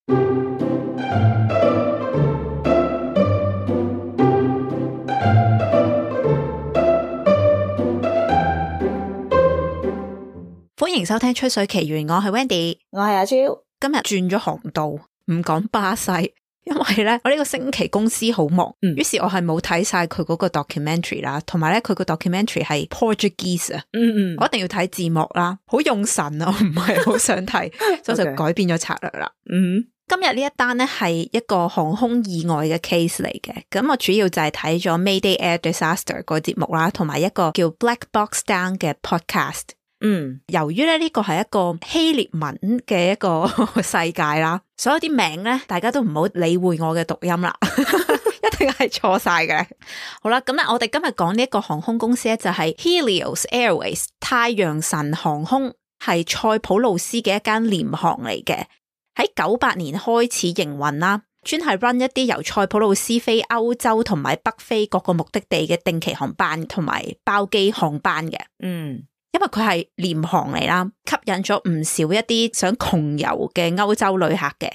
歡迎收聽吹水奇緣，我係 Wendy， 我係阿超。今日轉咗航道，唔講巴西，因為咧我呢個星期公司好忙，於是我係冇睇晒佢嗰個 documentary 啦，同埋咧佢個 documentary 係 Portuguese 啊，我一定要睇字幕啦，好用神啊，我唔係好想睇，所以就改變咗策略啦。今日呢一單咧係一個航空意外嘅 case 嚟嘅，咁我主要就係睇咗 Mayday Air Disaster 個節目啦，同埋一個叫 Black Box Down 嘅 podcast。由於咧呢個係一個希臘文嘅一個世界啦，所有啲名咧大家都唔好理會我嘅讀音啦，一定係錯晒嘅。好啦，咁咧我哋今日講呢一個航空公司咧就係 Helios Airways 太陽神航空，係塞浦路斯嘅一間廉航嚟嘅，喺98年開始營運啦，專係 run 一啲由塞浦路斯飛歐洲同埋北非各個目的地嘅定期航班同埋包機航班嘅。因為佢係廉航嚟啦，吸引咗唔少一啲想窮遊嘅歐洲旅客嘅。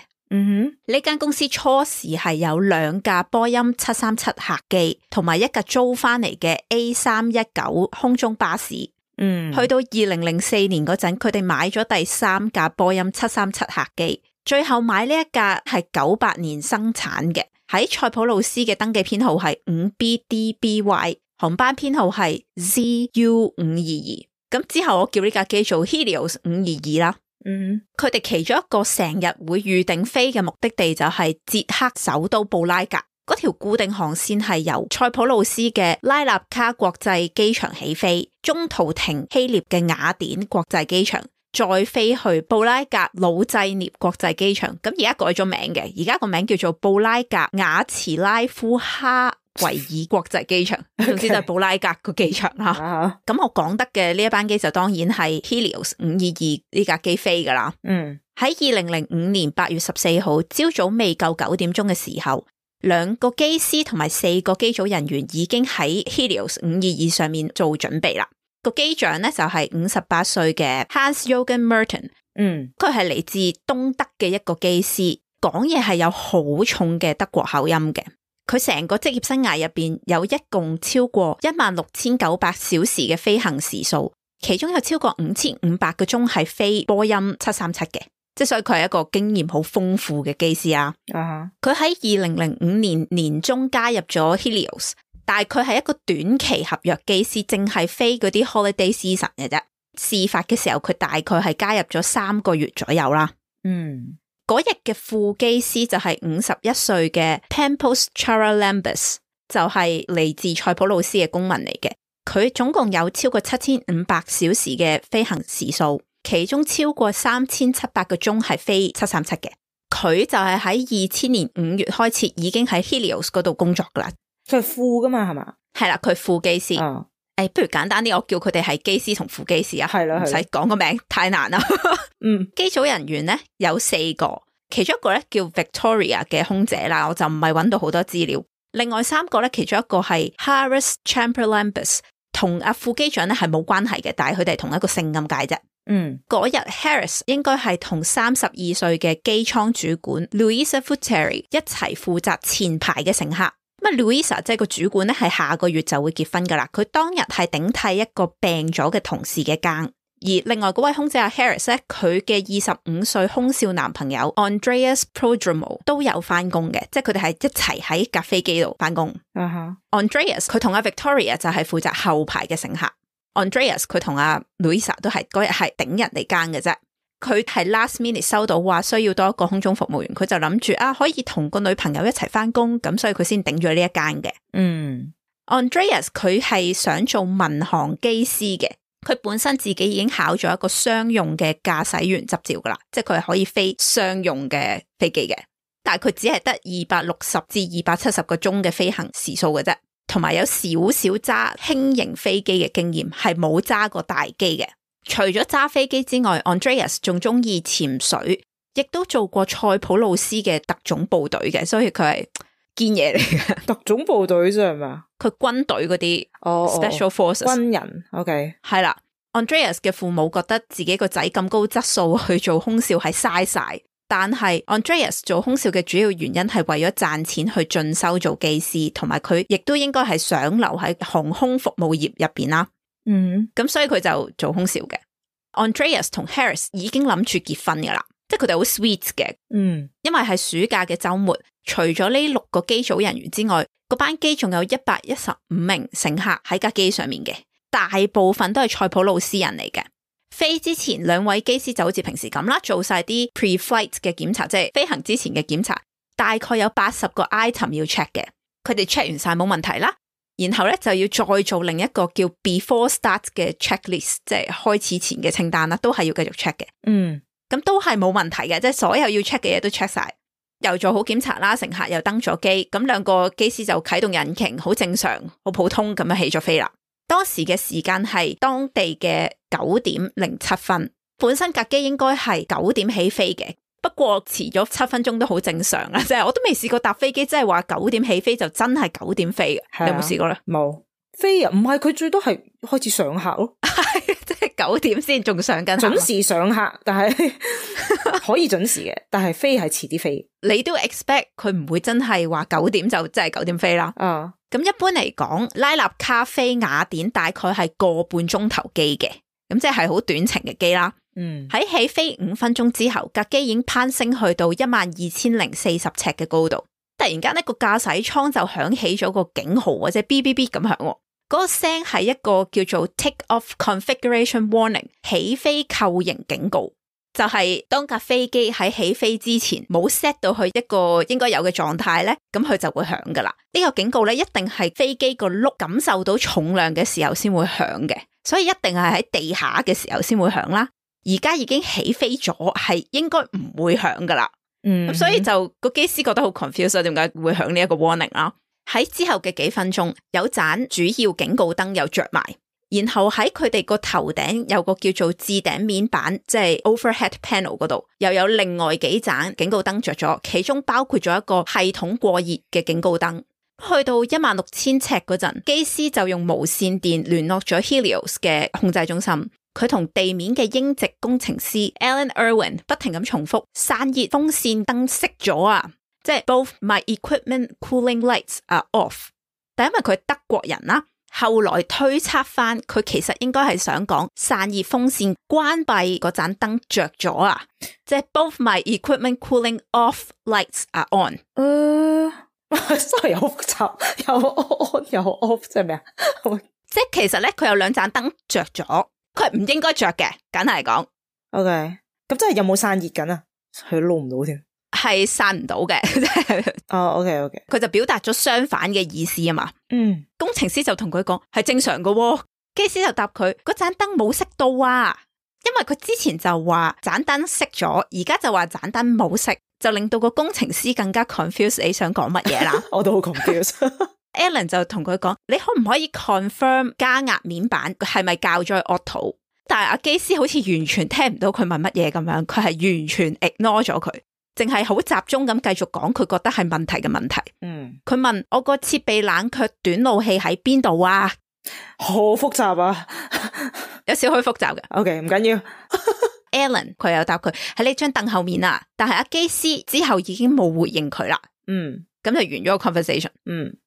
呢間公司初時係有2架波音737客機，同埋一架租翻嚟嘅 A319 空中巴士。去到2004年嗰陣，佢哋買咗第3架波音737客機，最後買呢一架係98年生產嘅，喺塞浦路斯嘅登記編號係 5BDBY， 航班編號係 ZU522。咁之後我叫呢架機做 Helios 522啦。佢哋其中一個成日會預定飛嘅目的地就係捷克首都布拉格，嗰條固定航線係由塞浦路斯嘅拉納卡國際機場起飛，中途停希臘嘅雅典國際機場，再飛去布拉格魯濟涅國際機場。咁而家改咗名嘅，而家個名叫做布拉格瓦茨拉夫哈維爾國際機場，總之就係布拉格個機場啦。咁我講得嘅呢一班機就當然係 Helios 522呢架機飛噶啦。喺2005年8月14號朝早未夠9點鐘嘅時候，2個機師同埋4個機組人員已經喺 Helios 522上面做準備啦。個機長咧就係58歲嘅 Hans-Jürgen Merten。佢係嚟自東德嘅一個機師，講嘢係有好重嘅德國口音嘅。佢成個職業生涯入邊有一共超過16900小時嘅飛行時數，其中有超過5500個鐘係飛波音737嘅，即係所以佢係一個經驗好豐富嘅機師啊。佢喺2005年年中加入咗 Helios， 但係佢係一個短期合約機師，淨係飛嗰啲 holiday season 嘅啫。事發嘅時候佢大概係加入咗3個月左右啦。嗰日嘅副機師就係51歲嘅 Pampos Charalambos， 就係嚟自塞浦路斯嘅公民嚟嘅。佢總共有超過7500小時嘅飛行時數，其中超過3700個鐘係飛737嘅。佢就係喺2000年5月開始已經喺 Helios 嗰度工作噶啦。佢係副噶嘛，係嘛？係啦，佢副機師。不如簡單啲，我叫佢哋係機師同副機師啊。係啦，唔使講個名太難啦。機組人員咧有4個，其中一個咧叫 Victoria 嘅空姐啦，我就唔係揾到好多資料。另外3個咧，其中一個係 Haris Charalambos， 同阿副機長咧係冇關係嘅，但係佢哋同一個姓咁解啫。嗰日 Haris 應該係同32歲嘅機艙主管 Luisa Futeri 一齊負責前排嘅乘客。咁 Luisa 即係個主管咧，係下個月就會結婚噶啦。佢當日係頂替一個病咗嘅同事嘅更，而另外嗰位空姐阿 Harris 咧，佢嘅25歲空少男朋友 Andreas Prodromou 都有翻工嘅，即係佢哋係一齊喺架飛機度翻工。Andreas 佢同阿 Victoria 就係負責後排嘅乘客。Andreas 佢同阿 Luisa 都係嗰日係頂人嚟更嘅啫。佢係 last minute 收到話需要多一個空中服務員，佢就諗住可以同個女朋友一齊翻工，咁所以佢先頂咗呢一間嘅。Andreas 佢係想做民航機師嘅，佢本身自己已經考咗一個商用嘅駕駛員執照噶啦，即係佢係可以飛商用嘅飛機嘅，但係佢只係得260至270個鐘嘅飛行時數嘅啫，同埋有少少揸輕型飛機嘅經驗，係冇揸過大機嘅。除咗揸飛機之外 Andreas 仲中意潛水，亦都做過塞浦路斯嘅特種部隊嘅，所以佢係堅嘢嚟嘅。特種部隊啫係嘛？佢軍隊嗰啲 special forces 軍人 OK 係啦。Andreas 嘅父母覺得自己個仔咁高質素去做空少係嘥晒，但係 Andreas 做空少嘅主要原因係為咗賺錢去進修做機師，同埋佢亦都應該係想留喺航空服務業入邊啦。咁所以佢就做空少嘅。Andreas 同 Harris 已經諗住結婚噶啦，即係佢哋好 sweet 嘅。因為係暑假嘅週末，除咗呢6個機組人員之外，個班機仲有115名乘客喺架機上面嘅，大部分都係塞浦路斯人嚟嘅。飛之前2位機師就好似平時咁啦，做晒啲 pre-flight 嘅檢查，即係飛行之前嘅檢查，大概有80個 item 要 check 嘅，佢哋 check 完晒冇問題啦，然後咧就要再做另一個叫 before start 嘅 checklist， 即係開始前嘅清單啦，都係要繼續 check 嘅。咁都係冇問題嘅，即係所有要 check 嘅嘢都 check 晒，又做好檢查啦，乘客又登咗機，咁2個機師就啟動引擎，好正常，好普通咁樣起咗飛啦。當時嘅時間係當地嘅9點07分，本身架機應該係9點起飛嘅，不過遲咗7分鐘都好正常啦，即係我都未試過搭飛機，即係話9點起飛就真係9點飛嘅。你有冇試過咧？冇飛啊，唔係佢最多係開始上客咯，即係9點先仲上緊，準時上客，但係可以準時嘅，但係飛係遲啲飛。你都 expect 佢唔會真係話9點就真係9點飛啦。咁一般嚟講，拉納卡飛雅典大概係個半鐘頭機嘅，咁即係好短程嘅機啦。喺起飛5分鐘之後，架機已經攀升去到12040尺嘅高度。突然間呢個駕駛艙就響起咗個警號或者 BBB 咁響，嗰個聲係一個叫做 Take Off Configuration Warning 起飛構型警告。就係當架飛機喺起飛之前冇 set 到去一個應該有嘅狀態咧，咁佢就會響噶啦。呢個警告咧一定係飛機個轆感受到重量嘅時候先會響嘅，所以一定係喺地下嘅時候先會響啦。而家已經起飛咗，係應該唔會響噶啦。咁所以就個機師覺得好 confused， 點解會響呢一個 warning 啦？喺之後嘅幾分鐘，有盞主要警告燈又着埋。然後喺佢哋個頭頂有個叫做置頂面板，即係 overhead panel 嗰度，又有另外幾盞警告燈着咗，其中包括咗一個系統過熱嘅警告燈。去到16000尺嗰陣，機師就用無線電聯絡咗 Helios 嘅控制中心，佢同地面嘅英籍工程師 Alan Irwin 不停咁重複散熱風扇燈熄咗啊，即係 both my equipment cooling lights are off。但因為佢係德國人啦。後來推測翻，佢其實應該係想講散熱風扇關閉嗰盞燈着咗啊，即係 both my equipment cooling off lights are on。真係有複雜，有 on 有 off， 即係咩啊？即係其實咧，佢有2盞燈着咗，佢係唔應該着嘅，簡單嚟講。OK，咁真係有冇散熱緊啊？佢撈唔到添。係散唔到嘅。OK， 佢就表達咗相反嘅意思啊嘛。工程師就同佢講係正常嘅，機師就答佢嗰盞燈冇熄到啊，因為佢之前就話盞燈熄咗，而家就話盞燈冇熄，就令到個工程師更加 confused 你想講乜嘢啦。我都好 confused。Alan 就同佢講，你可唔可以 confirm 加壓面板係咪校咗 auto？ 但係阿機師好似完全聽唔到佢問乜嘢咁樣，佢係完全 ignore 咗佢。淨係好集中咁繼續講佢覺得係問題嘅問題。佢問我個設備冷卻短路器喺邊度啊？好複雜啊，有少許複雜嘅。OK， 唔緊要。Alan 佢又答佢喺呢張凳後面啊，但係阿機師之後已經冇回應佢啦。咁就完咗個 conversation。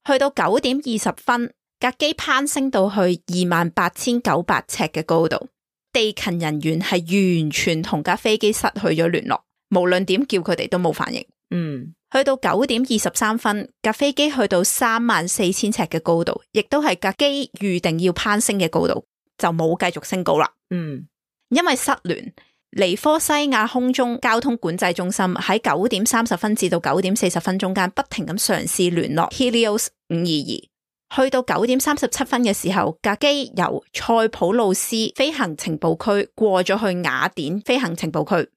去到9點20分，架機攀升到去28900尺嘅高度，地勤人員係完全同架飛機失去咗聯絡。無論點叫佢哋都冇反應。去到9點23分，架飛機去到34000尺嘅高度，亦都係架機預定要攀升嘅高度，就冇繼續升高啦。因為失聯，尼科西亞空中交通管制中心喺9點30分至到9點40分中間不停咁嘗試聯絡 Helios 522。去到9點37分嘅時候，架機由塞浦路斯飛行情報區過咗去雅典飛行情報區。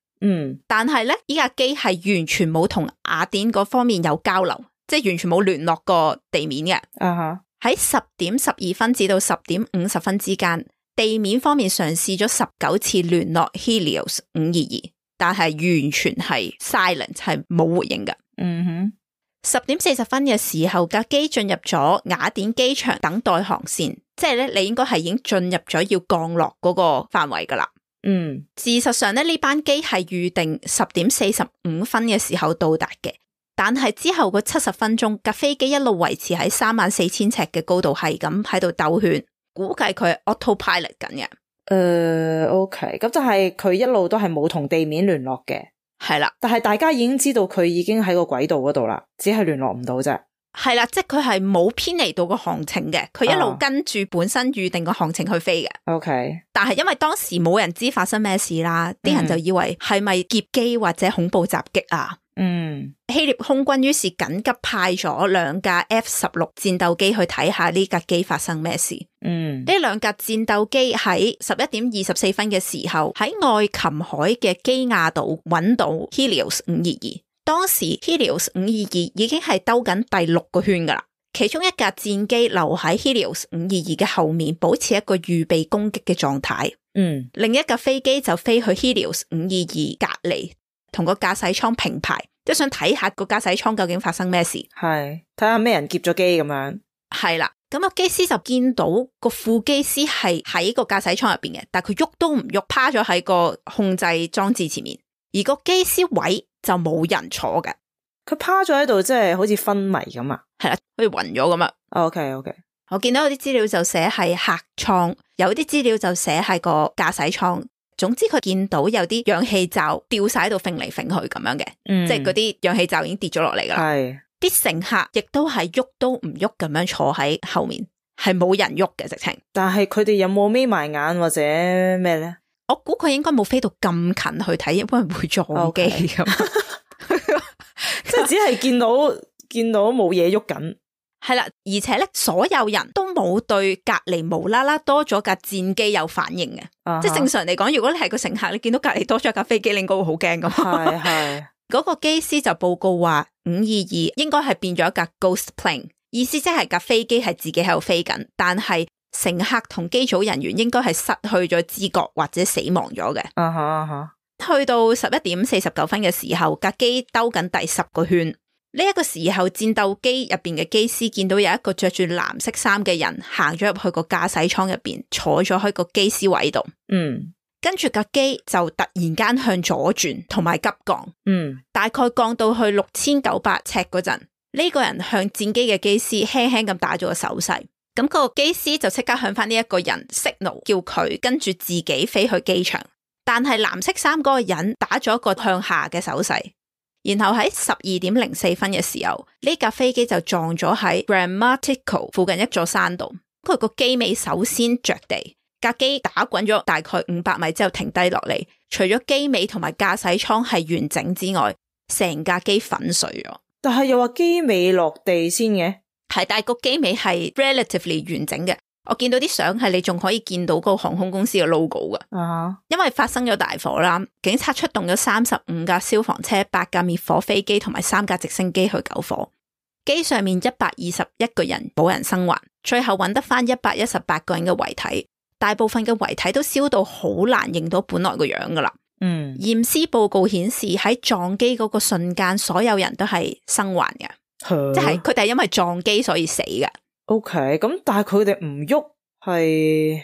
但係咧，依架機係完全冇同雅典嗰方面有交流，即係完全冇聯絡過地面嘅。喺10點12分至到10點50分之間，地面方面嘗試咗19次聯絡 Helios 522，但係完全係 silent， 係冇回應嘅。10點40分嘅時候，架機進入咗雅典機場等待航線，即係咧，你應該係已經進入咗要降落嗰個範圍噶啦。事實上咧，呢班機係預定10:45嘅時候到達嘅，但係之後個70分鐘架飛機一路維持喺34,000尺嘅高度，係咁喺度兜圈，估計佢係 autopilot 緊嘅。OK， 咁就係佢一路都係冇同地面聯絡嘅。係啦，但係大家已經知道佢已經喺個軌道嗰度啦，只係聯絡唔到啫。係啦，即係佢係冇偏離到個航程嘅，佢一路跟住本身預定個航程去飛嘅。OK， 但係因為當時冇人知發生咩事啦，啲人就以為係咪劫機或者恐怖襲擊啊？希臘空軍於是緊急派咗2架 F-16 戰鬥機去睇下呢架機發生咩事。呢2架戰鬥機喺11:24嘅時候喺愛琴海嘅基亞島揾到 Helios 522。當時 Helios 522已經係兜緊第6個圈噶啦，其中一架戰機留喺 Helios 522嘅後面，保持一個預備攻擊嘅狀態。另一架飛機就飛去 Helios 522隔離，同個駕駛艙平排，即係想睇下個駕駛艙究竟發生咩事。係睇下咩人劫咗機咁樣。係啦，咁個機師就見到個副機師係喺個駕駛艙入邊嘅，但係佢喐都唔喐，趴咗喺個控制裝置前面，而個機師位就冇人坐嘅，佢趴咗喺度，即係好似昏迷咁啊。係啦，好似暈咗咁啊。OK， 我見到有啲資料就寫係客艙，有啲資料就寫係個駕駛艙。總之佢見到有啲氧氣罩吊晒喺度揈嚟揈去咁樣嘅，即係嗰啲氧氣罩已經跌咗落嚟噶啦。係啲乘客亦都係喐都唔喐咁樣坐喺後面，係冇人喐嘅直情。但係佢哋有冇眯埋眼或者咩咧？我估佢應該冇飛到咁近去睇，因為會撞機咁。即係只係見到冇嘢喐緊。係啦，而且咧，所有人都冇對隔籬無啦啦多咗架戰機有反應嘅。即係正常嚟講，如果你係個乘客，你見到隔籬多咗架飛機，你應該會好驚噶嘛。係嗰個機師就報告話522應該係變咗一架 ghost plane， 意思即係架飛機係自己喺度飛緊，但係乘客同機組人員應該係失去咗知覺或者死亡咗嘅。去到11:49嘅時候，架機兜緊第10個圈。呢一個時候，戰鬥機入邊嘅機師見到有一個着住藍色衫嘅人行咗入去個駕駛艙入邊，坐咗喺個機師位度。跟住架機就突然間向左轉，同埋急降。大概降到去6900尺嗰陣，呢個人向戰機嘅機師輕輕咁打咗個手勢。咁個機師就即刻向翻呢一個人 signal， 叫佢跟住自己飛去機場。但係藍色衫嗰個人打咗一個向下嘅手勢。然後喺12:04嘅時候，呢架飛機就撞咗喺 Grammatico 附近一座山度。佢個機尾首先着地，架機打滾咗大概500米之後停低落嚟。除咗機尾同埋駕駛艙係完整之外，成架機粉碎咗。但係又話機尾落地先嘅，係，但係個機尾係 relatively 完整嘅。我見到啲相係你仲可以見到個航空公司嘅 logo 噶。因為發生咗大火啦，警察出動咗35架消防車、8架滅火飛機同埋3架直升機去救火。機上面121個人冇人生還，最後揾得翻118個人嘅遺體，大部分嘅遺體都燒到好難認到本來個樣噶啦。驗屍報告顯示喺撞機嗰個瞬間，所有人都係生還嘅，即係佢哋係因為撞機所以死嘅。OK， 咁但係佢哋唔喐，係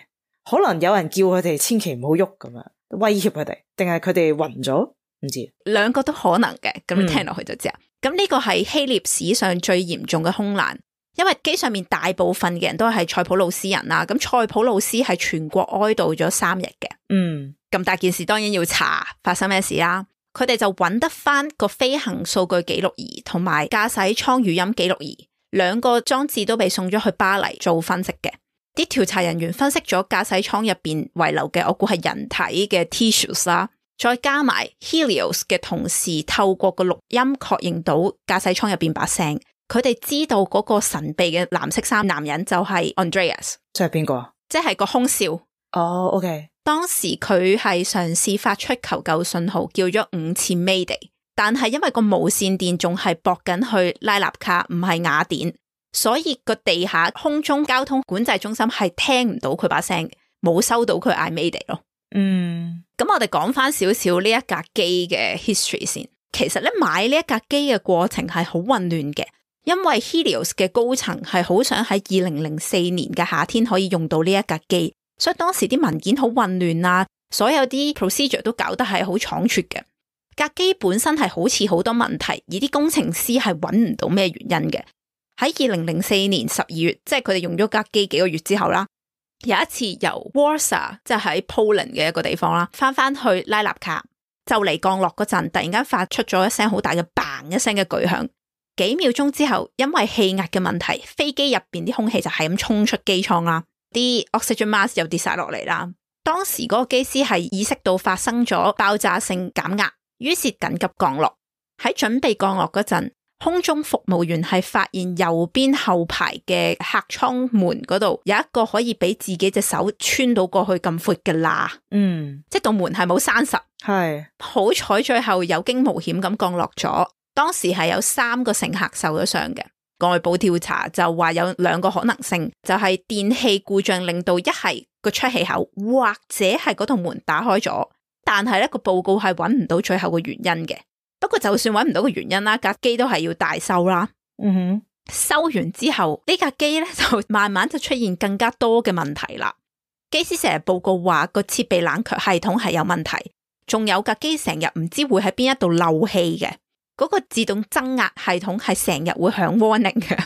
可能有人叫佢哋千祈唔好喐咁樣，威脅佢哋，定係佢哋暈咗？唔知，兩個都可能嘅。咁你聽落去就知啦。咁呢個係希臘史上最嚴重嘅空難，因為機上面大部分嘅人都係塞浦路斯人啦。咁塞浦路斯係全國哀悼咗3日嘅。咁大件事當然要查發生咩事啦。佢哋就揾得翻個飛行數據記錄儀同埋駕駛艙語音記錄儀。2個裝置都被送咗去巴黎做分析嘅，啲調查人員分析咗駕駛艙入邊遺留嘅，我估係人體嘅 tissues 啦，再加埋 Helios 嘅同事透過個錄音確認到駕駛艙入邊把聲，佢哋知道嗰個神秘嘅藍色衫男人就係 Andreas。即係邊個？即係個空少。OK。當時佢係嘗試發出求救信號，叫咗5次 Mayday。但係因為個無線電仲係駁緊去拉納卡，唔係雅典，所以個地下空中交通管制中心係聽唔到佢把聲，冇收到佢嗌 Mayday 咯。咁我哋講翻少少呢一架機嘅 history 先。其實咧，買呢一架機嘅過程係好混亂嘅，因為 Helios 嘅高層係好想喺2004年嘅夏天可以用到呢一架機，所以當時啲文件好混亂啊。所有啲 procedure 都搞得係好倉促嘅。架機本身係好似好多問題，而啲工程師係揾唔到咩原因嘅。喺2004年12月，即係佢哋用咗架機幾個月之後啦，有一次由 Warsaw 即係喺 Poland 嘅一個地方啦，翻去拉納卡，就嚟降落嗰陣，突然間發出咗一聲好大嘅 bang 一聲嘅巨響。幾秒鐘之後，因為氣壓嘅問題，飛機入邊啲空氣就係咁衝出機艙啦，啲 oxygen mask 又跌晒落嚟啦。當時嗰個機師係意識到發生咗爆炸性減壓，於是緊急降落。喺準備降落嗰陣，空中服務員係發現右邊後排嘅客艙門嗰度有一個可以俾自己隻手穿到過去咁闊嘅罅，即係道門係冇閂實，係好彩最後有驚無險咁降落咗。當時係有3個乘客受咗傷嘅，外部調查就話有2個可能性，就係電器故障令到一係個出氣口，或者係嗰道門打開咗，但係咧個報告係揾唔到最後個原因嘅。不過就算揾唔到個原因啦，架機都係要大修啦。修完之後呢架機咧就慢慢就出現更加多嘅問題啦。機師成日報告話個設備冷卻系統係有問題，仲有架機成日唔知會喺邊一度漏氣嘅。嗰個自動增壓系統係成日會響 warning 嘅，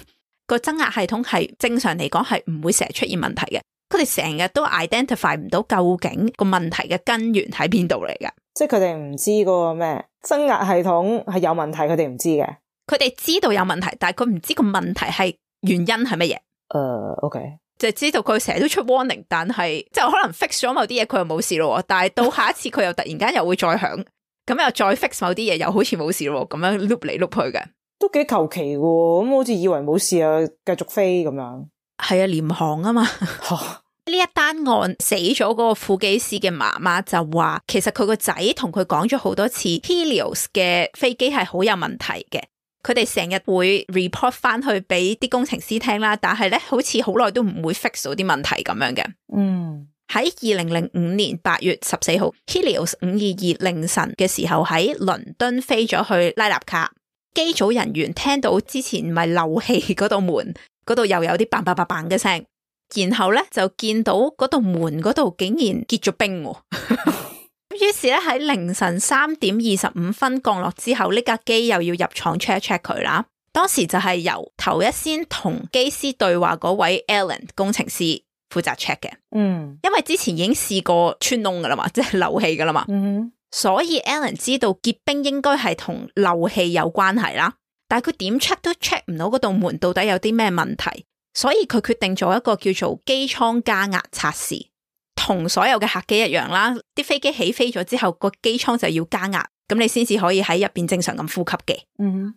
個增壓系統係正常嚟講係唔會成日出現問題嘅，佢哋成日都 identify 唔到究竟個問題嘅根源喺邊度嚟㗎，即係佢哋唔知嗰個咩增壓系統係有問題，佢哋唔知嘅，佢哋知道有問題，但係佢唔知個問題係原因係乜嘢。OK， 就知道佢成日都出 warning， 但係就可能 fix 咗某啲嘢佢又冇事咯，但係到下一次佢又突然間又會再響。咁又再 fix 某啲嘢，又好似冇事咯，咁樣碌嚟碌去嘅，都幾求其嘅。咁好似以為冇事啊，繼續飛咁樣。係啊，廉航啊嘛。呢一單案死咗嗰個副機師嘅媽媽就話，其實佢個仔同佢講咗好多次 Helios 嘅飛機係好有問題嘅，佢哋成日會 report 翻去俾啲工程師聽啦，但係咧好似好耐都唔會 fix 到啲問題咁樣嘅。喺2005年8月14號 Helios 522凌晨嘅時候喺倫敦飛咗去拉納卡，機組人員聽到之前唔係漏氣嗰道門嗰度又有啲嘭嘭嘭嘭嘅聲，然後咧就見到嗰道門嗰度竟然結咗冰，於是咧喺凌晨3點25分降落之後，呢架機又要入廠 check 一 check 佢啦。當時就係由頭一先同機師對話嗰位 Alan 工程師負責 check 嘅，因為之前已經試過穿窿噶啦嘛，即係漏氣噶啦嘛，所以 Alan 知道結冰應該係同漏氣有關係啦，但係佢點 check 都 check 唔到嗰道門到底有啲咩問題，所以佢決定做一個叫做機艙加壓測試，同所有嘅客機一樣啦，啲飛機起飛咗之後個機艙就要加壓，咁你先至可以喺入邊正常咁呼吸嘅。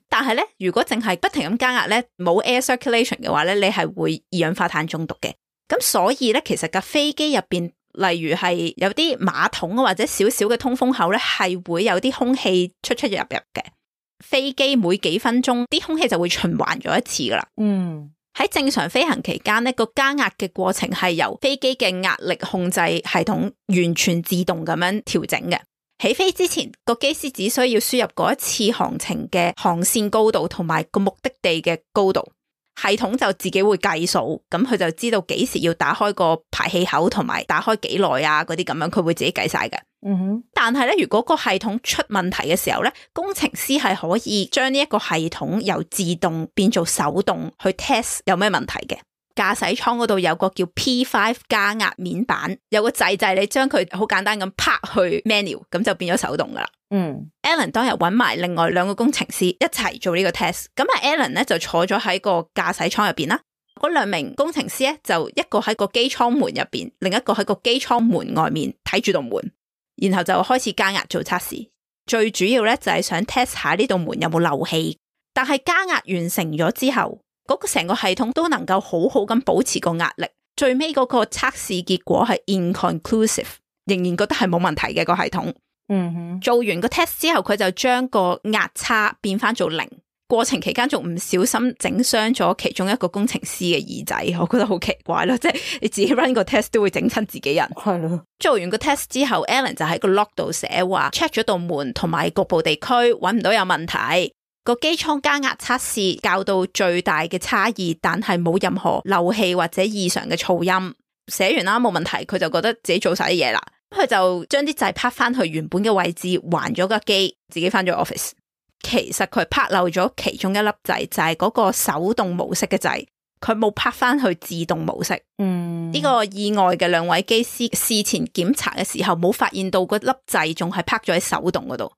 但係咧，如果淨係不停咁加壓咧，冇 air circulation 嘅話咧，你係會二氧化碳中毒嘅。咁所以咧，其實架飛機入邊，例如係有啲馬桶或者少少嘅通風口咧，係會有啲空氣出入嘅。飛機每幾分鐘啲空氣就會循環咗一次噶啦。喺正常飛行期間呢，個加壓嘅過程係由飛機嘅壓力控制系統完全自動咁樣調整嘅。起飛之前，個機師只需要輸入嗰一次航程嘅航線高度同埋個目的地嘅高度。系統就自己會計數，咁佢就知道幾時要打開個排氣口同埋打開幾耐啊，嗰啲咁樣佢會自己計晒嘅。但係咧，如果個系統出問題嘅時候咧，工程師係可以將呢一個系統由自動變做手動去 test 有咩問題嘅。駕駛艙嗰度有個叫 P5 加壓面板，有個掣你將佢好簡單咁拍去 menu， 咁就變咗手動噶啦。Alan 當日揾埋另外2個工程師一齊做呢個 test， 咁啊 Alan 咧就坐咗喺個駕駛艙入邊啦，嗰2名工程師咧就一個喺個機艙門入邊，另一個喺個機艙門外面睇住道門，然後就開始加壓做測試。最主要咧就係想 test 下呢道門有冇漏氣，但係加壓完成咗之後，嗰個成個系統都能夠好好咁保持個壓力。最尾嗰個測試結果係 inconclusive， 仍然覺得係冇問題嘅個系統。做完個 test 之後，佢就將個壓差變翻做0。過程期間仲唔小心整傷咗其中一個工程師嘅耳仔，我覺得好奇怪咯，即係你自己 run 個 test 都會整親自己人。係咯。做完個 test 之後 ，Alan 就喺個 log 度寫話 check 咗道門同埋局部地區揾唔到有問題。個機艙加壓測試較到最大嘅差異，但係冇任何漏氣或者異常嘅噪音。寫完啦，冇問題，佢就覺得自己做晒啲嘢啦。佢就將啲掣拍翻去原本嘅位置，還咗架機，自己翻咗 office。其實佢拍漏咗其中一粒掣，就係嗰個手動模式嘅掣，佢冇拍翻去自動模式。呢個意外嘅兩位機師事前檢查嘅時候，冇發現到嗰粒掣仲係拍咗喺手動嗰度。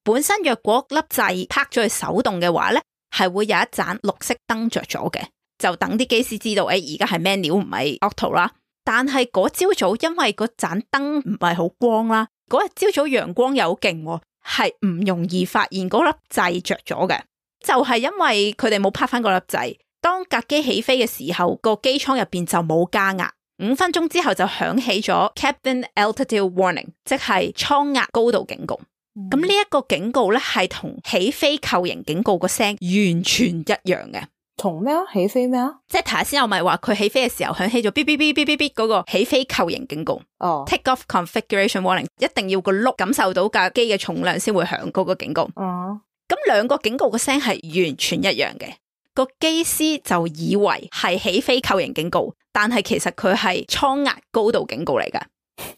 本身若果粒掣拍咗去手動嘅話咧，係會有一盞綠色燈着咗嘅，就等啲機師知道，而家係 manual 唔係 auto 啦。但係嗰朝早因為嗰盞燈唔係好光啦，嗰日朝早陽光又好勁，係唔容易發現嗰粒掣着咗嘅。就係因為佢哋冇拍翻嗰粒掣，當架機起飛嘅時候，個機艙入邊就冇加壓，5分鐘之後就響起咗 cabin altitude warning， 即係艙壓高度警告。咁呢一個警告咧係同起飛扣型警告個聲完全一樣嘅。同咩啊？起飛咩啊？即係頭先我咪話佢起飛嘅時候響起咗嗶嗶嗶嗶嗶嗶嗰個起飛扣型警告。Take off configuration warning， 一定要個轆感受到架機嘅重量先會響嗰個警告。咁兩個警告個聲係完全一樣嘅。個機師就以為係起飛扣型警告，但係其實佢係艙壓高度警告嚟噶。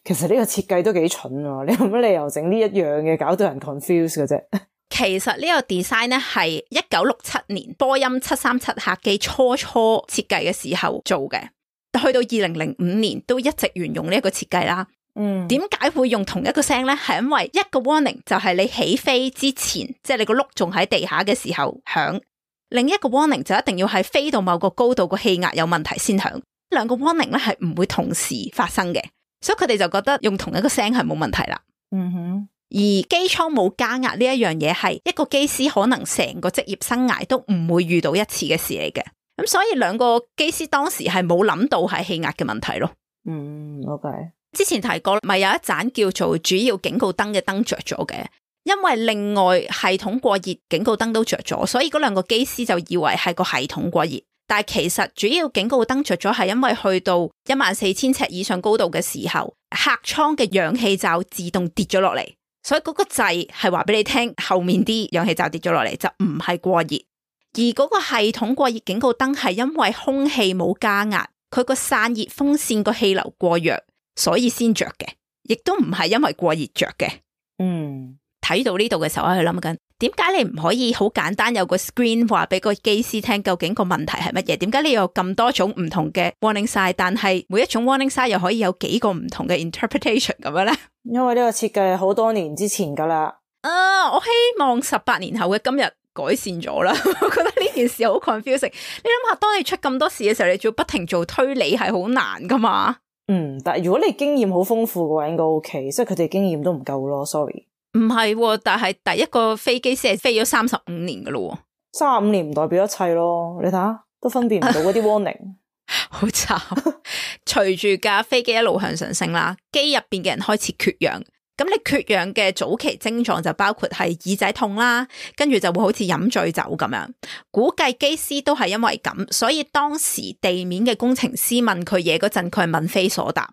其實呢個設計都幾蠢啊！你有乜理由整呢一樣嘅，搞到人 confuse 嘅啫？其實呢個 design 咧係1967年波音737客機初設計嘅時候做嘅，去到2005年都一直沿用呢一個設計啦。點解會用同一個聲咧？係因為一個 warning 就係你起飛之前，即係你個轆仲喺地下嘅時候響，另一個 warning 就一定要係飛到某個高度個氣壓有問題先響。兩個 warning 咧係唔會同時發生嘅，所以佢哋就覺得用同一個聲係冇問題啦。而機艙冇加壓呢一樣嘢係一個機師可能成個職業生涯都唔會遇到一次嘅事嚟嘅，咁所以兩個機師當時係冇諗到係氣壓嘅問題咯。OK。之前提過咪有一盞叫做主要警告燈嘅燈着咗嘅，因為另外系統過熱警告燈都着咗，所以嗰兩個機師就以為係個系統過熱，但係其實主要警告燈着咗係因為去到14000尺以上高度嘅時候，客艙嘅氧氣罩自動跌咗落嚟。所以嗰個掣係話俾你聽，後面啲氧氣罩跌咗落嚟就唔係過熱，而嗰個系統過熱警告燈係因為空氣冇加壓，佢個散熱風扇個氣流過弱，所以先着嘅，亦都唔係因為過熱着嘅。睇到呢度嘅時候，我喺度諗緊，點解你唔可以好簡單有個 screen 話俾個機師聽究竟個問題係乜嘢？點解你有咁多種唔同嘅 warning sign， 但係每一種 warning sign 又可以有幾個唔同嘅 interpretation 咁樣咧？因為呢個設計係好多年之前噶啦。我希望18年後嘅今日改善咗啦。我覺得呢件事好 confusing。你諗下，當你出咁多事嘅時候，你仲要不停做推理，係好難噶嘛？但係如果你經驗好豐富嘅話，應該 OK。即係佢哋經驗都唔夠咯。Sorry。唔係，但係第一個飛機師係飛咗35年噶咯。35年唔代表一切咯。你睇下，都分辨唔到嗰啲 warning。好慘。隨住架飛機一路向上升啦，機入邊嘅人開始缺氧。咁你缺氧嘅早期症狀就包括係耳仔痛啦，跟住就會好似飲醉酒咁樣。估計機師都係因為咁，所以當時地面嘅工程師問佢嘢嗰陣，佢係問非所答。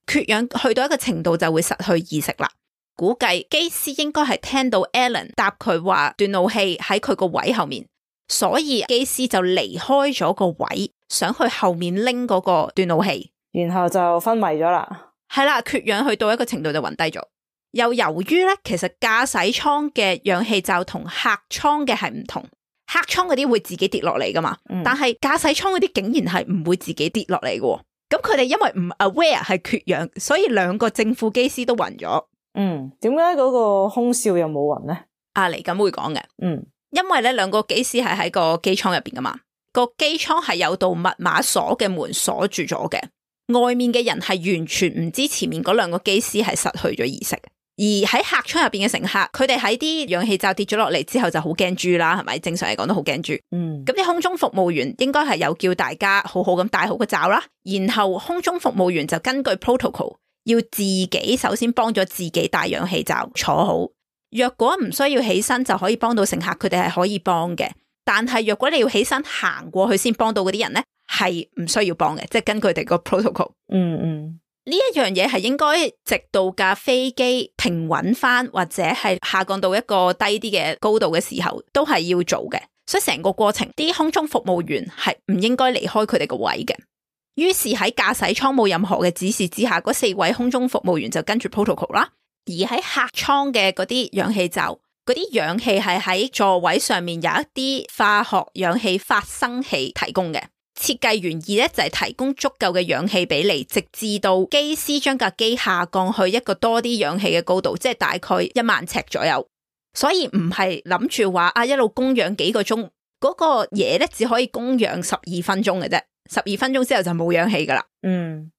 缺氧去到一個程度就會失去意識啦。估計機師應該係聽到 Alan 答佢話斷路器喺佢個位後面，所以機師就離開咗個位，想去後面拎嗰個斷路器，然後就昏迷咗啦。係啦，缺氧去到一個程度就暈低咗。又由於咧，其實駕駛艙嘅氧氣罩同客艙嘅係唔同，客艙嗰啲會自己跌落嚟噶嘛，但係駕駛艙嗰啲竟然係唔會自己跌落嚟嘅。咁佢哋因為唔 aware 係缺氧，所以兩個正副機師都暈咗。點解嗰個空少又冇暈咧？嚟緊會講嘅。因為咧兩個機師係喺個機艙入邊噶嘛，個機艙係有道密碼鎖嘅門鎖住咗嘅，外面嘅人係完全唔知前面嗰兩個機師係失去咗意識。而喺客艙入邊嘅乘客，佢哋喺啲氧氣罩跌咗落嚟之後就好驚豬啦，係咪？正常嚟講都好驚豬。咁啲空中服務員應該係有叫大家好好咁戴好個罩啦，然後空中服務員就根據 protocol 要自己首先幫咗自己戴氧氣罩坐好。若果唔需要起身就可以幫到乘客，佢哋係可以幫嘅。但係若果你要起身行過去先幫到嗰啲人咧，係唔需要幫嘅，即係根據佢哋個 protocol。呢一樣嘢係應該直到架飛機平穩翻，或者係下降到一個低啲嘅高度嘅時候，都係要做嘅。所以成個過程，啲空中服務員係唔應該離開佢哋個位嘅。於是喺駕駛艙冇任何嘅指示之下，嗰4位空中服務員就跟住 protocol 啦。而喺客艙嘅嗰啲氧氣罩，嗰啲氧氣係喺座位上面有一啲化學氧氣發生器提供嘅。設計原意咧就係提供足夠嘅氧氣俾你，直至到機師將架機下降去一個多啲氧氣嘅高度，即係大概1萬尺左右。所以唔係諗住話一路供氧幾個鐘，嗰個嘢咧只可以供氧12分鐘嘅啫，12分鐘之後就冇氧氣噶啦。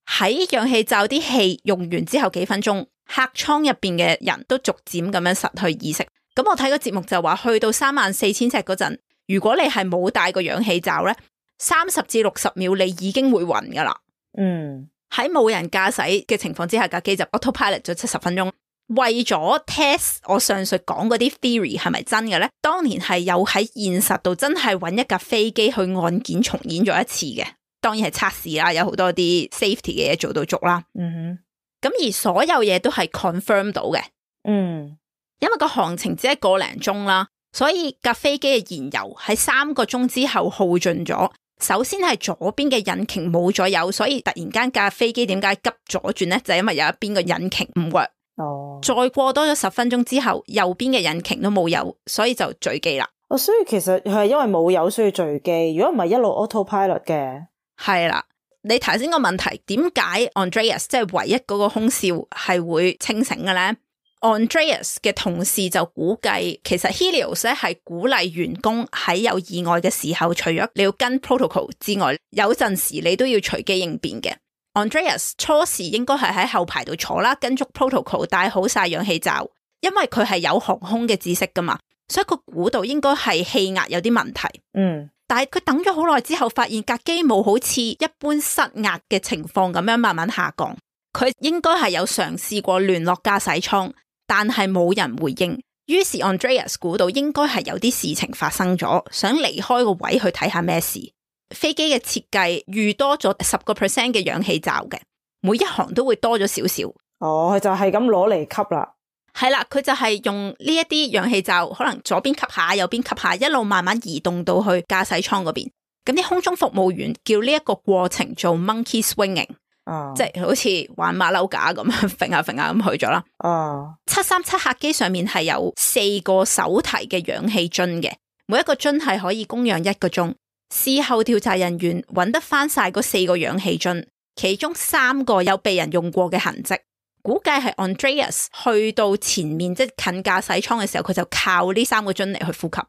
喺氧氣罩啲氣用完之後幾分鐘，客艙入邊嘅人都逐漸咁樣失去意識。咁我睇個節目就話，去到34,000尺嗰陣，如果你係冇帶個氧氣罩咧，30至60秒你已經會暈噶啦。喺冇人駕駛嘅情況之下，架機就 autopilot 咗70分鐘。為咗 test 我上述講嗰啲 theory 係咪真嘅咧，當年係有喺現實度真係揾一架飛機去案件重演咗一次嘅，當然係測試啦，有好多啲 safety 嘅嘢做到足啦。咁而所有嘢都係 confirm 到嘅。因為個航程只係個零鐘啦，所以架飛機嘅燃油喺3個鐘之後耗盡咗。首先係左邊嘅引擎冇咗油，所以突然間架飛機點解急左轉咧？就係因為有一邊個引擎唔 work。再過多咗10分鐘之後，右邊嘅引擎都冇油，所以就墜機啦。所以其實係因為冇油所以墜機，如果唔係一路 autopilot 嘅。係啦，你頭先個問題，點解 Andreas 即係唯一嗰個空少係會清醒嘅咧？ Andreas 嘅同事就估計，其實 Helios 咧係鼓勵員工喺有意外嘅時候，除咗你要跟 protocol 之外，有陣時你都要隨機應變嘅。Andreas 初時應該係喺後排度坐啦，跟足 protocol 戴好晒氧氣罩，因為佢係有航空嘅知識噶嘛，所以佢估到應該係氣壓有啲問題。但係佢等咗好耐之後，發現架機冇好似一般失壓嘅情況咁樣慢慢下降。佢應該係有嘗試過聯絡駕駛艙，但係冇人回應。於是 Andreas 估到應該係有啲事情發生咗，想離開個位去睇下咩事。飛機嘅設計預多咗10% 嘅氧氣罩嘅，每一行都會多咗少少。佢就係咁攞嚟吸啦。係啦，佢就係用呢一啲氧氣罩，可能左邊吸下，右邊吸下，一路慢慢移動到去駕駛艙嗰邊。咁啲空中服務員叫呢一個過程做 monkey swinging，即係好似玩馬騮架咁樣揈下揈下咁去咗啦。737客機上面係有4個手提嘅氧氣樽嘅，每一個樽係可以供氧1個鐘。事後調查人員揾得翻晒嗰4個氧氣樽，其中3個有被人用過嘅痕跡，估計係 Andreas 去到前面即係近駕駛艙嘅時候，佢就靠呢3個樽嚟去呼吸。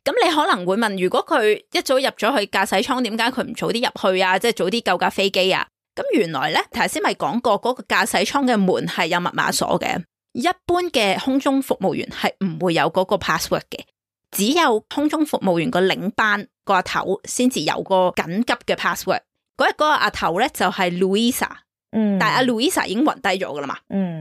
咁你可能會問，如果佢一早入咗去駕駛艙，點解佢唔早啲入去啊？即係早啲救架飛機啊？咁原來咧，頭先咪講過嗰個駕駛艙嘅門係有密碼鎖嘅，一般嘅空中服務員係唔會有嗰個 password 嘅。只有空中服務員個領班個阿頭先至有個緊急嘅 password。嗰日嗰個阿頭咧就係 Louisa，但係阿 Louisa 已經暈低咗噶啦嘛，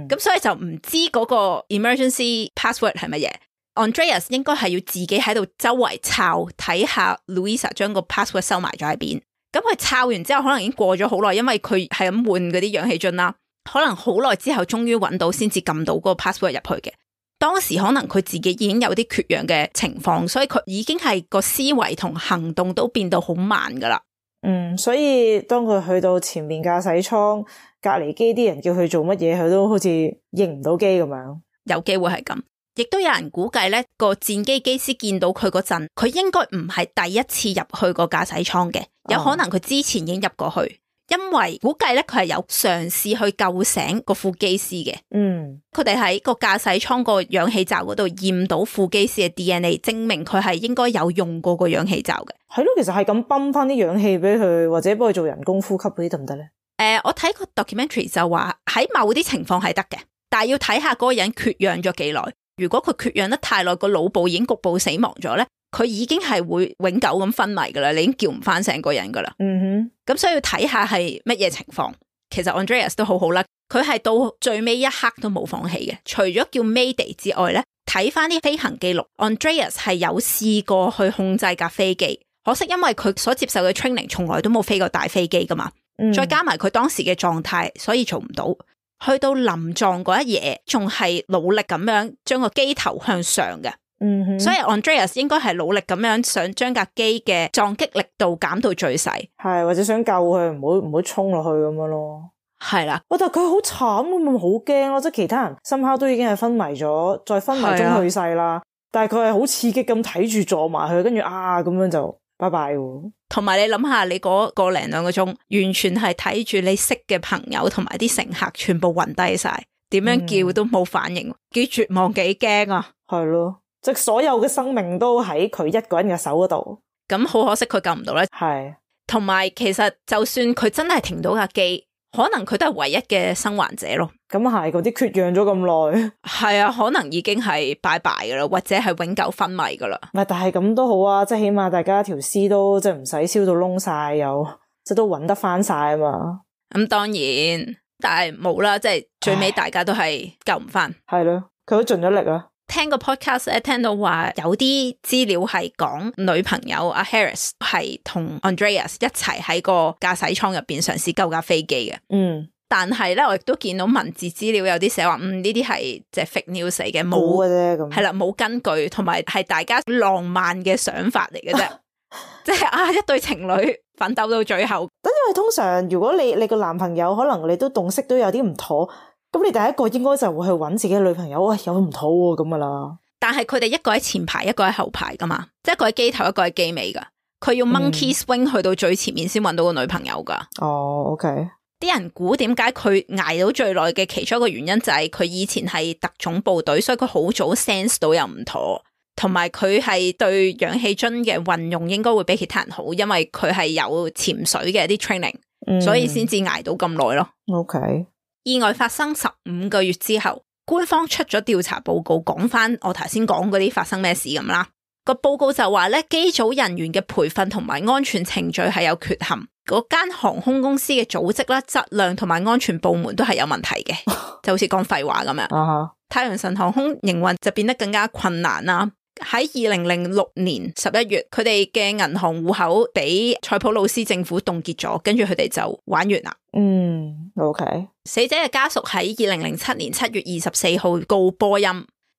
咁所以就唔知嗰個 emergency password 係乜嘢。Andreas 應該係要自己喺度周圍抄睇下 Louisa 將個 password 收埋咗喺邊。咁佢抄完之後，可能已經過咗好耐，因為佢係咁換嗰啲氧氣樽啦，可能好耐之後終於揾到，先至撳到嗰個 password 入去嘅。當時可能佢自己已經有啲缺氧嘅情況，所以佢已經係個思維同行動都變到好慢噶啦。所以當佢去到前面駕駛艙隔離機，啲人叫佢做乜嘢，佢都好似應唔到機咁樣。有機會係咁，亦都有人估計咧，個戰機機師見到佢嗰陣，佢應該唔係第一次入去個駕駛艙嘅，有可能佢之前已經入過去。因為估計咧，佢係有嘗試去救醒個副機師嘅。佢哋喺個駕駛艙個氧氣罩嗰度驗到副機師嘅 DNA， 證明佢係應該有用過個氧氣罩嘅。係咯，其實係咁泵翻啲氧氣俾佢，或者幫佢做人工呼吸嗰啲得唔得咧？我睇個 documentary 就話喺某啲情況係得嘅，但係要睇下嗰個人缺氧咗幾耐。如果佢缺氧得太耐，個腦部已經局部死亡咗咧，佢已經係會永久咁昏迷噶啦，你已經叫唔翻成個人噶啦。咁所以要睇下係乜嘢情況。其實 Andreas 都好好啦，佢係到最尾一刻都冇放棄嘅。除咗叫 Mayday 之外咧，睇翻啲飛行記錄 ，Andreas 係有試過去控制架飛機，可惜因為佢所接受嘅 training 從來都冇飛過大飛機噶嘛，再加埋佢當時嘅狀態，所以做唔到。去到臨撞嗰一夜，仲係努力咁樣將個機頭向上嘅。所以 Andreas 應該係努力咁樣想將架機嘅撞擊力度減到最細，係或者想救佢唔好衝落去咁樣咯。係啦，但係佢好慘咁，好驚咯，即係其他人somehow都已經係昏迷咗，再昏迷中去世啦。但係佢係好刺激咁睇住撞埋去，跟住咁樣就拜拜喎。同埋你諗下，你嗰個零兩個鐘，完全係睇住你識嘅朋友同埋啲乘客全部暈低晒，點樣叫都冇反應，幾絕望幾驚啊！係咯，即係所有嘅生命都喺佢一個人嘅手嗰度。咁好可惜佢救唔到咧。係，同埋其實就算佢真係停到架機，可能佢都係唯一嘅生還者咯。咁係，嗰啲缺氧咗咁耐，係啊，可能已經係拜拜噶啦，或者係永久昏迷噶啦。唔係，但係咁都好啊，即係起碼大家條屍都即係唔使燒到燶晒，又即係都揾得翻晒啊嘛。咁當然，但係冇啦，即係最尾大家都係救唔翻。係咯，佢都盡咗力啊。聽個 podcast 咧，聽到話有啲資料係講女朋友阿 Harris 係同 Andreas 一齊喺個駕駛艙入邊嘗試救架飛機嘅。但係咧，我亦都見到文字資料有啲寫話，呢啲係即係 fake news 嚟嘅，冇嘅啫，咁係啦，冇根據，同埋係大家浪漫嘅想法嚟嘅啫。即係一對情侶奮鬥到最後。因為通常如果你個男朋友可能你都洞悉都有啲唔妥。咁你第一個應該就會去揾自己嘅女朋友，喂，有唔妥喎咁噶啦。但係佢哋一個喺前排，一個喺後排噶嘛，即係一個喺機頭，一個喺機尾噶。佢要 monkey swing 去到最前面先揾到個女朋友噶。OK。啲人估點解佢捱到最耐嘅其中一個原因就係佢以前係特種部隊，所以佢好早 sense 到有唔妥，同埋佢係對氧氣樽嘅運用應該會比其他人好，因為佢係有潛水嘅啲 training，所以先至捱到咁耐咯。OK。意外發生15個月之後，官方出咗調查報告，講翻我頭先講嗰啲發生咩事咁啦。個報告就話咧，機組人員嘅培訓同埋安全程序係有缺陷，嗰間航空公司嘅組織啦、質量同埋安全部門都係有問題嘅，就好似講廢話咁樣。太陽神航空營運就變得更加困難啦。喺2006年11月，佢哋嘅銀行戶口俾塞浦路斯政府凍結咗，跟住佢哋就玩完啦。OK。死者嘅家屬喺2007年7月24號告波音，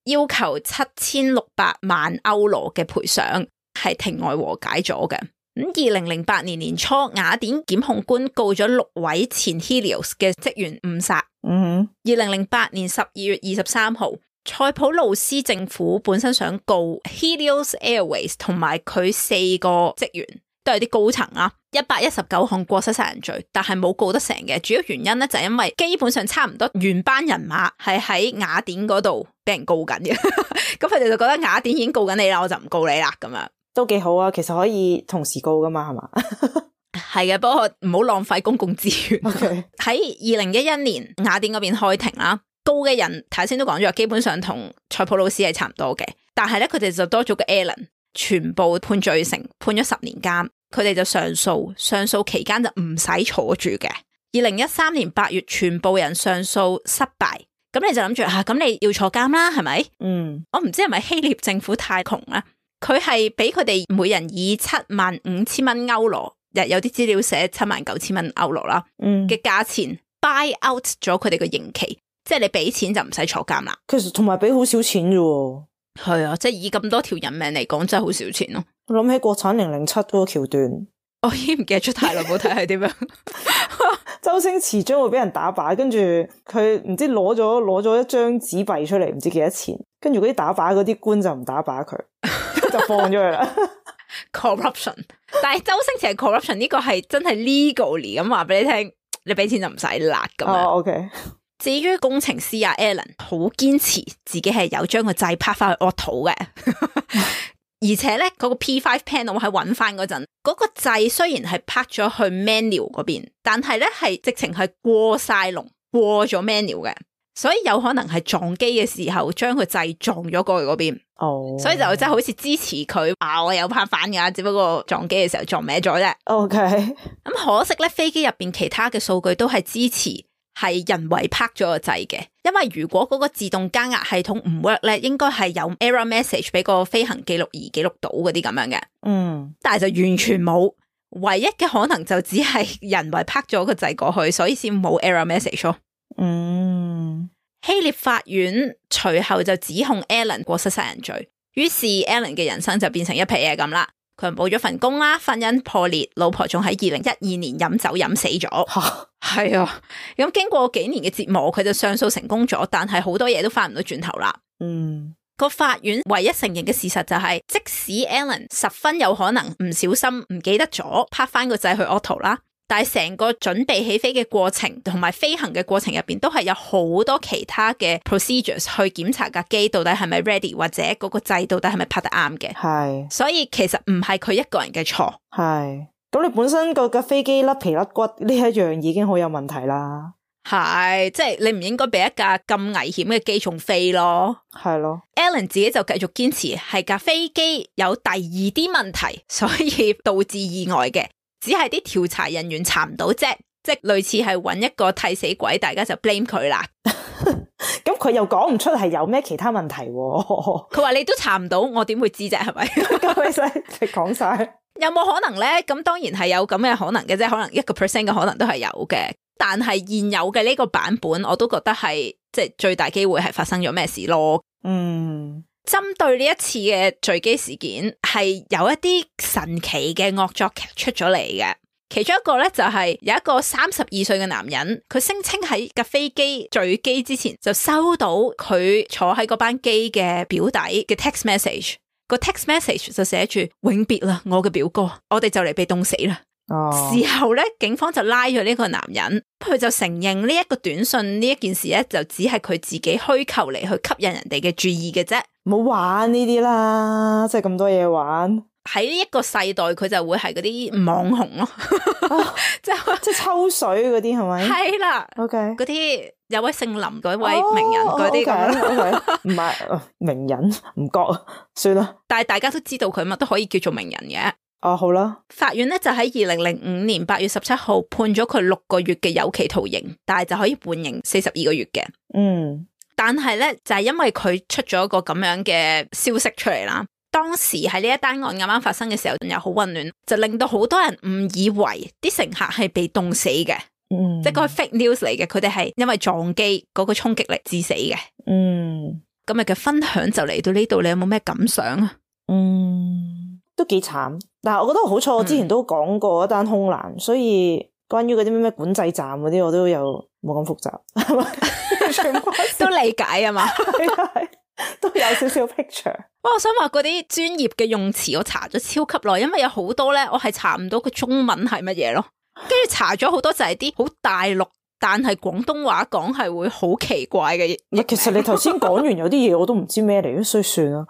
要求7600萬歐羅嘅賠償，係庭外和解咗嘅。咁2008年年初，雅典檢控官告咗6位前 Helios 嘅職員誤殺。2008年12月23號。塞浦路斯政府本身想告 Helios Airways 同埋佢4個職員，都係啲高層啊，119項過失殺人罪，但係冇告得成嘅。主要原因咧就係因為基本上差唔多原班人馬係喺雅典嗰度俾人告緊嘅，咁佢哋就覺得雅典已經告緊你啦，我就唔告你啦，咁樣都幾好啊。其實可以同時告噶嘛，係嘛？係嘅，不過唔好浪費公共資源。Okay. 喺2011年雅典嗰邊開庭啦。告嘅人頭先都講咗，基本上同塞浦路斯係差唔多嘅，但係咧佢哋就多咗個 Alan， 全部判罪成，判咗10年監。佢哋就上訴，上訴期間就唔使坐住嘅。2013年8月，全部人上訴失敗，咁你就諗住咁你要坐監啦，係咪？我唔知係咪希臘政府太窮啦，佢係俾佢哋每人以75,000蚊歐羅，有啲資料寫79,000蚊歐羅啦嘅價錢 buy out 咗佢哋嘅刑期。即係你俾錢就唔使坐監啦。其實同埋俾好少錢啫。係啊，即係以咁多條人命嚟講，真係好少錢咯。我諗起國產007嗰個橋段，我已經唔記得咗太耐冇睇係點樣。周星馳將會俾人打靶，跟住佢唔知攞咗一張紙幣出嚟，唔知幾多錢，跟住嗰啲打靶嗰啲官就唔打靶佢，就放咗佢啦。Corruption， 但係周星馳係 corruption 呢個係真係 legally 咁話俾你聽，你俾錢就唔使辣咁樣。OK。至於工程師阿 Alan 好堅持自己係有將個掣拍翻去 auto 嘅，而且咧嗰個 P5 panel 喺搵翻嗰陣，嗰個掣雖然係拍咗去 manual 嗰邊，但係咧係直情係過晒龍，過咗 manual 嘅，所以有可能係撞機嘅時候將個掣撞咗過去嗰邊。所以就真係好似支持佢我有拍反噶，只不過撞機嘅時候撞歪咗啫。OK。咁可惜咧，飛機入邊其他嘅數據都係支持係人為拍咗個掣嘅，因為如果嗰個自動加壓系統唔 work 咧，應該係有 error message 俾個飛行記錄儀記錄到嗰啲咁樣嘅。但係就完全冇，唯一嘅可能就只係人為拍咗個掣過去，所以先冇 error message 咯。希臘法院隨後就指控 Alan 過失殺人罪，於是 Alan 嘅人生就變成一皮嘢咁啦。佢冇咗份工啦，婚姻破裂，老婆仲喺2012年飲酒飲死咗。係啊，咁經過幾年嘅折磨，佢就上訴成功咗，但係好多嘢都翻唔到轉頭啦。個法院唯一承認嘅事實就係，即使 Alan 十分有可能唔小心唔記得咗拍翻個掣去 auto 啦，但係成個準備起飛嘅過程同埋飛行嘅過程入邊，都係有好多其他嘅 procedures 去檢查架機到底係咪 ready， 或者嗰個掣到底係咪拍得啱嘅。係，所以其實唔係佢一個人嘅錯。係，咁你本身個架飛機甩皮甩骨呢一樣已經好有問題啦。係，即係你唔應該俾一架咁危險嘅機重飛咯。係咯 ，Alan 自己就繼續堅持係架飛機有第二啲問題，所以導致意外嘅，只係啲調查人員查唔到啫，即係類似係揾一個替死鬼，大家就 blame 佢啦。咁佢又講唔出係有咩其他問題喎。佢話你都查唔到，我點會知啫？係咪？咁你使你講晒，有冇可能咧？咁當然係有咁嘅可能嘅啫，可能1% 嘅可能都係有嘅。但係現有嘅呢個版本，我都覺得係即係最大機會係發生咗咩事咯。針對呢一次嘅墜機事件，係有一啲神奇嘅惡作劇出咗嚟嘅。其中一個咧就係有一個32歲嘅男人，佢聲稱喺架飛機墜機之前就收到佢坐喺嗰班機嘅表弟嘅 text message， 個 text message 就寫住永別啦，我嘅表哥，我哋就嚟被凍死啦。事後咧，警方就拉咗呢個男人，佢就承認呢一個短信呢一件事咧，就只係佢自己虛構嚟去吸引人哋嘅注意嘅啫。唔好玩呢啲啦，即係咁多嘢玩。喺呢一個世代，佢就會係嗰啲網紅咯，即係抽水嗰啲係咪？係啦 ，OK，嗰啲有位姓林嗰位名人嗰啲咁，唔係名人唔覺，算啦。但係大家都知道佢乜都可以叫做名人嘅。好啦，法院咧就喺2005年8月17號判咗佢6個月嘅有期徒刑，但係就可以判刑42個月嘅。但係咧就係因為佢出咗個咁樣嘅消息出嚟啦，當時喺呢一單案啱啱發生嘅時候又好混亂，就令到好多人誤以為啲乘客係被凍死嘅。即係個 fake news 嚟嘅，佢哋係因為撞機嗰個衝擊力致死嘅。今日嘅分享就嚟到呢度，你有冇咩感想啊？都幾慘，但係我覺得好彩，我之前都講過一單空難，所以關於嗰啲咩管制站嗰啲，我都有冇咁複雜，係咪？都理解啊嘛，都有少少 picture。我想話嗰啲專業嘅用詞，我查咗超級耐，因為有好多咧，我係查唔到佢中文係乜嘢咯。跟住查咗好多就係啲好大陸，但係廣東話講係會好奇怪嘅。其實你頭先講完有啲嘢我都唔知咩嚟，所以算啦。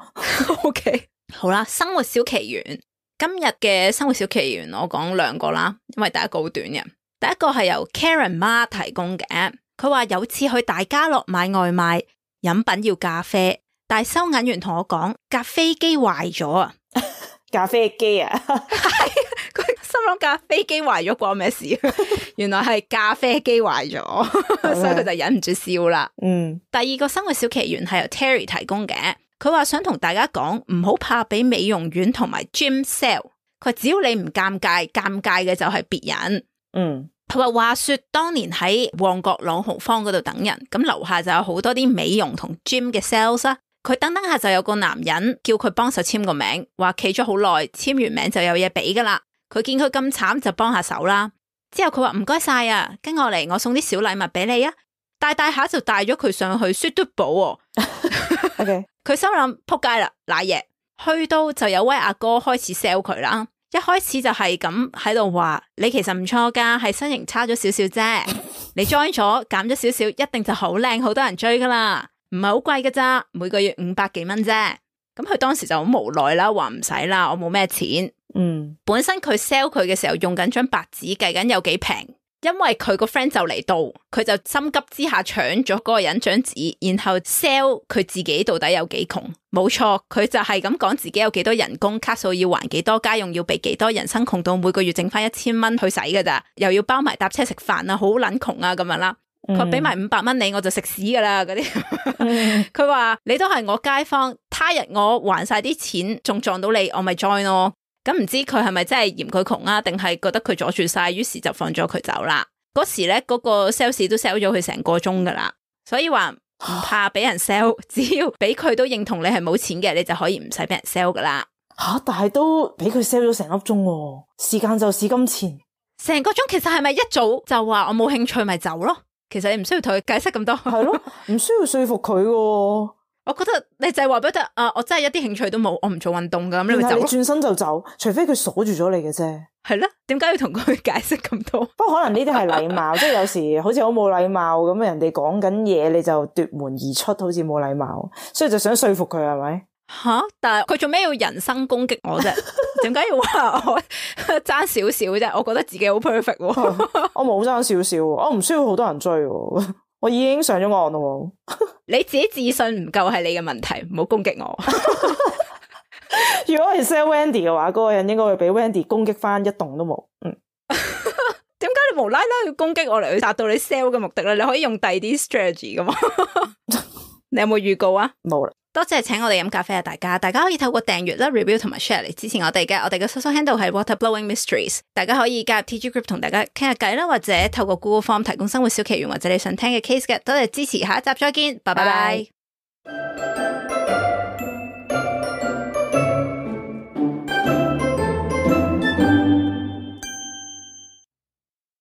OK。好啦，生活小奇懸，今日嘅生活小奇懸我講2個啦，因為第一個好短嘅。第一個係由 Karen 媽提供嘅，佢話有次去大家樂買外賣，飲品要咖啡，但係收銀員同我講架飛機壞咗啊！咖啡機啊，係佢心諗架飛機壞咗關咩事？原來係咖啡機壞咗，所以佢就忍唔住笑啦。第二個生活小奇懸係由 Terry 提供嘅。佢話想同大家講，唔好怕俾美容院同埋 gym sell。佢只要你唔尷尬，尷尬嘅就係別人。佢話說當年喺旺角朗豪坊嗰度等人，咁樓下就有好多啲美容同 gym 嘅 sales 啦。佢等下就有個男人叫佢幫手簽個名，話企咗好耐，簽完名就有嘢俾噶啦。佢見佢咁慘就幫下手啦。之後佢話唔該晒啊，跟我嚟，我送啲小禮物俾你啊。帶下就帶咗佢上去 Suit 寶。OK。佢心諗撲街啦，瀨嘢，去到就有位阿哥開始 sell 佢啦。一開始就係咁喺度話，你其實唔錯噶，係身形差咗少少啫。你 join 咗減咗少少，一定就好靚，好多人追噶啦，唔係好貴噶咋，每個月500幾蚊啫。咁佢當時就好無奈啦，話唔使啦，我冇咩錢。本身佢 sell 佢嘅時候用緊張白紙計緊有幾平。因為佢個 friend 就嚟到，佢就心急之下搶咗嗰個人張紙，然後 sell 佢自己到底有幾窮。冇錯，佢就係咁講自己有幾多人工，卡數要還幾多，家用要俾幾多，人生窮到每個月剩翻1000蚊去使噶咋，又要包埋搭車食飯啊，好撚窮啊咁樣啦。佢俾埋500蚊你，我就食屎噶啦嗰啲。佢話你都係我街坊，他日我還晒啲錢，仲撞到你，我咪 join 咯。咁唔知佢係咪真係嫌佢窮啊，定係覺得佢阻住晒，於是就放咗佢走啦。嗰時咧，嗰個 sales 都 sell 咗佢成個鐘噶啦，所以話唔怕俾人 sell， 只要俾佢都認同你係冇錢嘅，你就可以唔使俾人 sell 噶啦。但係都俾佢 sell 咗成粒鐘喎，時間就是金錢。成個鐘其實係咪一早就話我冇興趣咪走咯？其實你唔需要同佢解釋咁多。係咯，唔需要說服佢喎。我覺得你就係話俾佢聽，我真係一啲興趣都冇，我唔做運動噶，咁你咪走咯。你轉身就走，除非佢鎖住咗你嘅啫。係咧，點解要同佢解釋咁多？不過可能呢啲係禮貌，即係有時好似好冇禮貌咁，人哋講緊嘢你就奪門而出，好似冇禮貌，所以就想說服佢係咪？吓！但係佢做咩要人身攻擊我啫？點解要話我爭少少啫？我覺得自己好 perfect 喎。我冇爭少少，我唔需要好多人追，我已經上咗岸咯。你自己自信唔夠係你嘅問題，唔好攻擊我。如果係 sell Wendy 嘅話，嗰個人應該會俾 Wendy 攻擊翻一棟都冇。點解你無啦啦要攻擊我嚟去達到你 sell 嘅目的咧？你可以用第二啲 strategy 噶嘛？你有冇預告啊？冇啦。多謝請我哋飲咖啡啊！大家可以透過訂閱啦、review 同埋 share 嚟支持我哋嘅。我哋嘅 social handle 係 Water Blowing Mysteries。大家可以加入 TG Group 同大家傾下偈啦，或者透過 Google Form 提供生活小奇懸或者你想聽嘅 case 嘅。多謝支持，下一集再見，拜拜。